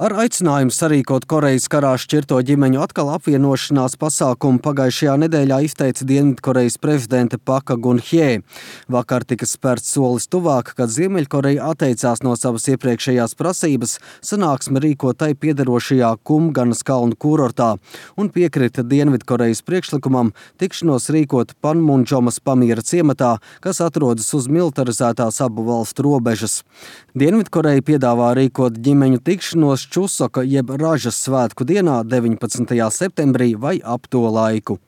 Ar aicinājumu sarīkot Korejas karā šķirto ģimeņu atkal apvienošanās pasākumu pagājušajā nedēļā izteica Dienvidkorejas prezidente Paka Gun-hjē. Vakar tika spērts solis tuvāk, kad Ziemeļkoreja atteicās no savas iepriekšējās prasības sanāksmi rīkot tai piederošajā Kumganas kalnu kūrortā un piekrita Dienvidkorejas priekšlikumam tikšanos rīkot Panmundžomas pamiera ciematā, kas atrodas uz militarizētās abu valstu robežas. Dienvidkoreja piedāvā rīkot ģimeņu tikšanos Čusoka jeb Ražas svētku dienā 19. septembrī vai ap to laiku.